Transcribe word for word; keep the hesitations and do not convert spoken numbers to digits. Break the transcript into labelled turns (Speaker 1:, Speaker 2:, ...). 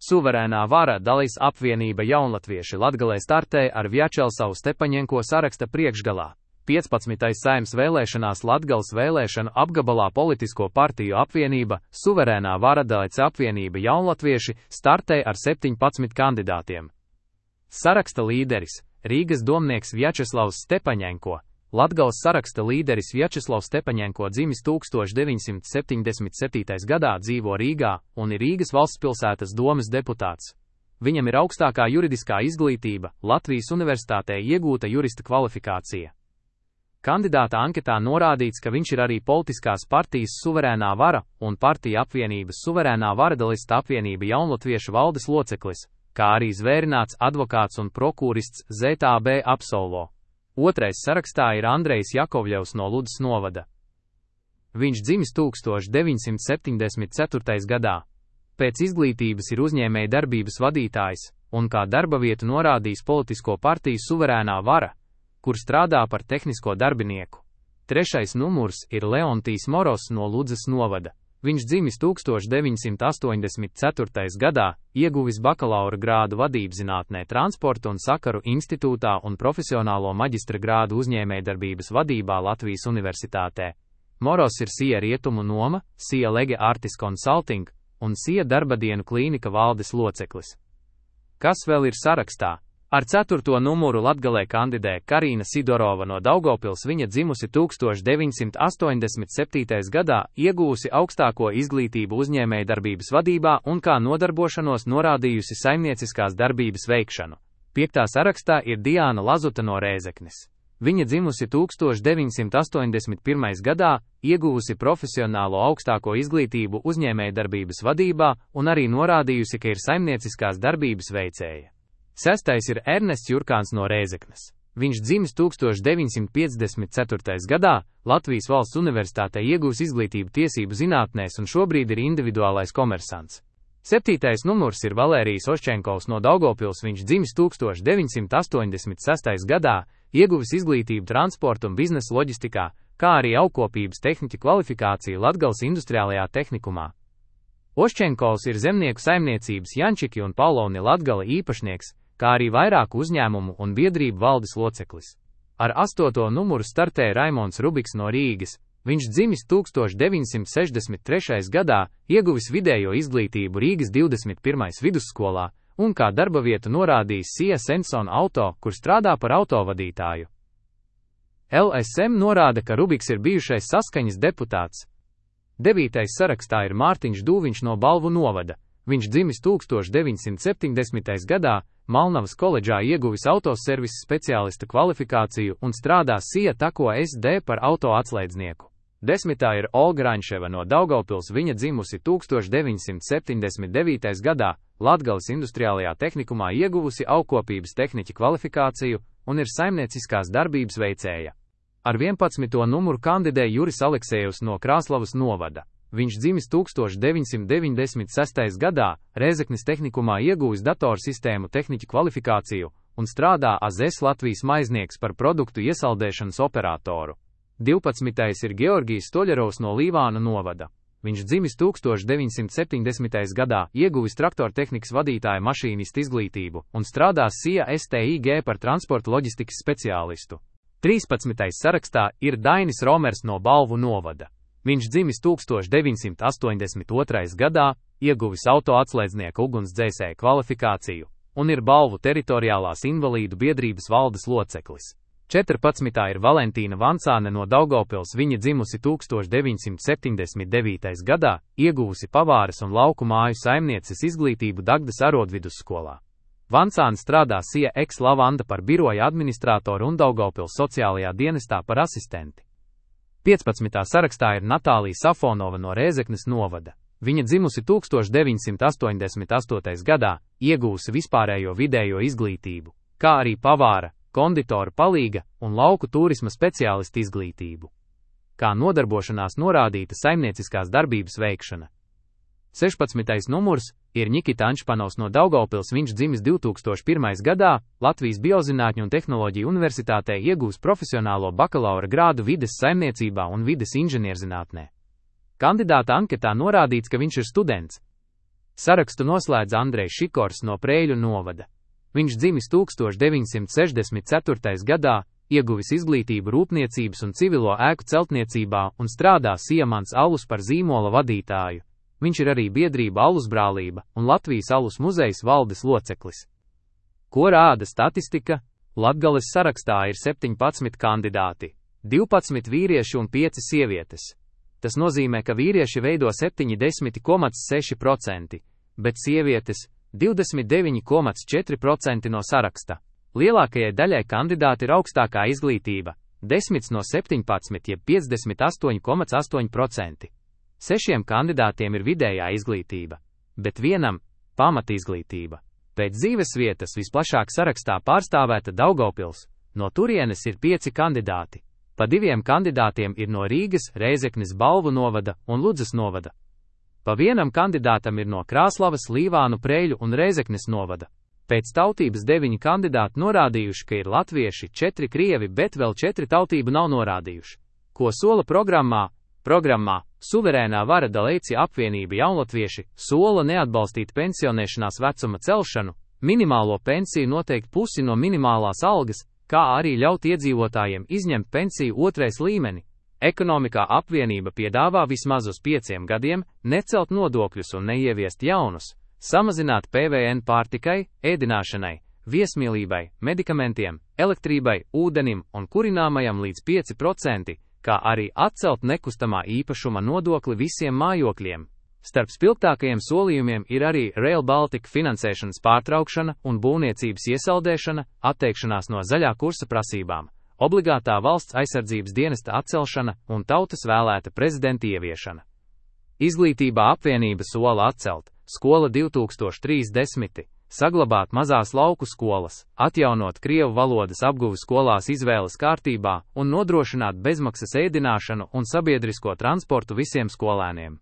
Speaker 1: Suverēnā vara Daļas apvienība Jaunlatvieši Latgalē startē ar Vjačeslavu Stepaņenko saraksta priekšgalā. piecpadsmitais Saeimas vēlēšanās Latgales vēlēšanu apgabalā politisko partiju apvienība Suverēnā vara Daļas apvienība Jaunlatvieši startē ar septiņpadsmit kandidātiem. Saraksta līderis – Rīgas domnieks Vjačeslavs Stepaņenko. Latgales saraksta līderis Vjačeslavs Stepaņenko dzimis tūkstoš deviņsimt septiņdesmit septītajā gadā, dzīvo Rīgā un ir Rīgas valstspilsētas domes deputāts. Viņam ir augstākā juridiskā izglītība, Latvijas Universitātē iegūta jurista kvalifikācija. Kandidāta anketā norādīts, ka viņš ir arī politiskās partijas Suverēnā vara un partija apvienības Suverēnā vara Daļas apvienība Jaunlatviešu valdes loceklis, kā arī zvērināts advokāts un prokurorists Z T B absolvo. Otrais sarakstā ir Andrejs Jakovļevs no Ludzas novada. Viņš dzimis tūkstoš deviņsimt septiņdesmit ceturtajā gadā. Pēc izglītības ir uzņēmēja darbības vadītājs un kā darba vietu norādījis politisko partiju Suverēnā vara, kur strādā par tehnisko darbinieku. Trešais numurs ir Leontijs Moros no Ludzas novada. Viņš dzimis tūkstoš deviņsimt astoņdesmit ceturtajā gadā, ieguvis bakalaura grādu vadībzinātnē Transporta un sakaru institūtā un profesionālo maģistra grādu uzņēmējdarbības vadībā Latvijas Universitātē. Moros ir S I A Rietumu noma, S I A Lege Artis Consulting un S I A Darbadienu klīnika valdes loceklis. Kas vēl ir sarakstā? Ar ceturto numuru Latgalē kandidē Karīna Sidorova no Daugavpils. Viņa dzimusi tūkstoš deviņsimt astoņdesmit septītajā gadā, iegūsi augstāko izglītību uzņēmējdarbības vadībā un kā nodarbošanos norādījusi saimnieciskās darbības veikšanu. Piektā sarakstā ir Diāna Lazuta no Rēzeknes. Viņa dzimusi tūkstoš deviņsimt astoņdesmit pirmajā gadā, ieguvusi profesionālo augstāko izglītību uzņēmējdarbības vadībā un arī norādījusi, ka ir saimnieciskās darbības veicēja. Sestais ir Ernests Jurkāns no Rēzeknes. Viņš dzimis tūkstoš deviņsimt piecdesmit ceturtajā gadā, Latvijas Valsts Universitātē iegūs izglītību tiesību zinātnēs un šobrīd ir individuālais komersants. Septītais numurs ir Valērijs Oščenkovs no Daugavpils. Viņš dzimis tūkstoš deviņsimt astoņdesmit sestajā gadā, ieguvis izglītību transporta un biznesa loģistikā, kā arī augkopības tehniķa kvalifikāciju Latgales industriālajā tehnikumā. Oščenkovs ir zemnieku saimniecības Jančiki un Pauloni Latgale īpašnieks, kā arī vairāku uzņēmumu un biedrību valdes loceklis. Ar astoto numuru startē Raimonds Rubiks no Rīgas. Viņš dzimis tūkstoš deviņsimt sešdesmit trešajā gadā, ieguvis vidējo izglītību Rīgas divdesmit pirmajā vidusskolā un kā darba vietu norādījis S I A Senson Auto, kur strādā par autovadītāju. L S M norāda, ka Rubiks ir bijušais Saskaņas deputāts. Devītais sarakstā ir Mārtiņš Dūviņš no Balvu novada. Viņš dzimis tūkstoš deviņsimt septiņdesmitajā gadā, Malnavas koledžā ieguvis autoservisa speciālista kvalifikāciju un strādā S I A Tako S D par auto atslēdznieku. Desmitā ir Olga Raņševa no Daugavpils. Viņa dzimusi tūkstoš deviņsimt septiņdesmit devītajā gadā, Latgales industriālajā tehnikumā ieguvusi augkopības tehniķa kvalifikāciju un ir saimnieciskās darbības veicēja. Ar vienpadsmito numuru kandidē Juris Aleksejevs no Krāslavas novada. Viņš dzimis tūkstoš deviņsimt deviņdesmit sestajā gadā, Rēzeknes tehnikumā ieguvis datorsistēmu tehniķa kvalifikāciju un strādā A Z S Latvijas maiznieks par produktu iesaldēšanas operatoru. divpadsmitais ir Georgijs Stoļerovs no Līvāna novada. Viņš dzimis tūkstoš deviņsimt septiņdesmitajā gadā, ieguvis traktortehnikas vadītāja mašīnista izglītību un strādā S I A S T I G par transporta loģistikas speciālistu. trīspadsmitais sarakstā ir Dainis Romers no Balvu novada. Viņš dzimis tūkstoš deviņsimt astoņdesmit otrajā gadā, ieguvis auto atslēdznieka ugunsdzēsēja kvalifikāciju un ir Balvu teritoriālās invalīdu biedrības valdes loceklis. četrpadsmitā ir Valentīna Vancāne no Daugavpils. Viņa dzimusi tūkstoš deviņsimt septiņdesmit devītajā gadā, ieguvusi pavāres un lauku māju saimnieces izglītību Dagdas arodvidusskolā. Vancāne strādā S I A Ex Lavanda par biroja administratoru un Daugavpils sociālajā dienestā par asistenti. piecpadsmitā sarakstā ir Natālija Safonova no Rēzeknes novada. Viņa dzimusi tūkstoš deviņsimt astoņdesmit astotajā gadā, iegūsi vispārējo vidējo izglītību, kā arī pavāra, konditora palīga un lauku turisma speciālista izglītību. Kā nodarbošanās norādīta saimnieciskās darbības veikšana. sešpadsmitais numurs ir Nikita Anšpanovs no Daugavpils. Viņš dzimis divtūkstoš pirmajā gadā, Latvijas Biozinātņu un tehnoloģiju universitātē iegūs profesionālo bakalaura grādu vides saimniecībā un vides inženierzinātnē. Kandidāta anketā norādīts, ka viņš ir students. Sarakstu noslēdz Andrejs Šikors no Preiļu novada. Viņš dzimis tūkstoš deviņsimt sešdesmit ceturtajā gadā, ieguvis izglītību rūpniecības un civilo ēku celtniecībā un strādā Siemants alus par zīmola vadītāju. Viņš ir arī biedrība Alus brālība un Latvijas alus muzejas valdes loceklis. Ko rāda statistika? Latgales sarakstā ir septiņpadsmit kandidāti, divpadsmit vīrieši un pieci sievietes. Tas nozīmē, ka vīrieši veido septiņdesmit komats seši procenti, bet sievietes divdesmit deviņi komats četri procenti no saraksta. Lielākajai daļai kandidāti ir augstākā izglītība – desmit no septiņpadsmit jeb piecdesmit astoņi komats astoņi procenti. Sešiem kandidātiem ir vidējā izglītība, bet vienam – pamatizglītība. Pēc dzīvesvietas visplašāk sarakstā pārstāvēta Daugavpils, no turienes ir pieci kandidāti. Pa diviem kandidātiem ir no Rīgas, Rēzeknes Balvu novada un Ludzas novada. Pa vienam kandidātam ir no Krāslavas, Līvānu, Preiļu un Rēzeknes novada. Pēc tautības deviņi kandidāti norādījuši, ka ir latvieši, četri krievi, bet vēl četri tautību nav norādījuši. Ko sola programmā? Programmā Suverēnā vara Dalēci apvienība jaunatvieši sola neatbalstīt pensionēšanās vecuma celšanu, minimālo pensiju noteikt pusi no minimālās algas, kā arī ļaut iedzīvotājiem izņemt pensiju otrais līmeni. Ekonomikā apvienība piedāvā vismaz uz pieciem gadiem necelt nodokļus un neieviest jaunus, samazināt P V N pārtikai, ēdināšanai, viesmīlībai, medikamentiem, elektrībai, ūdenim un kurināmajam līdz pieci procenti, kā arī atcelt nekustamā īpašuma nodokli visiem mājokļiem. Starp spilgtākajiem solījumiem ir arī Rail Baltica finansēšanas pārtraukšana un būvniecības iesaldēšana, atteikšanās no zaļā kursa prasībām, obligātā valsts aizsardzības dienesta atcelšana un tautas vēlēta prezidenta ieviešana. Izglītībā apvienība sola atcelt skola divi tūkstoši trīsdesmit, saglabāt mazās lauku skolas, atjaunot krievu valodas apguvi skolās izvēles kārtībā un nodrošināt bezmaksas ēdināšanu un sabiedrisko transportu visiem skolēniem.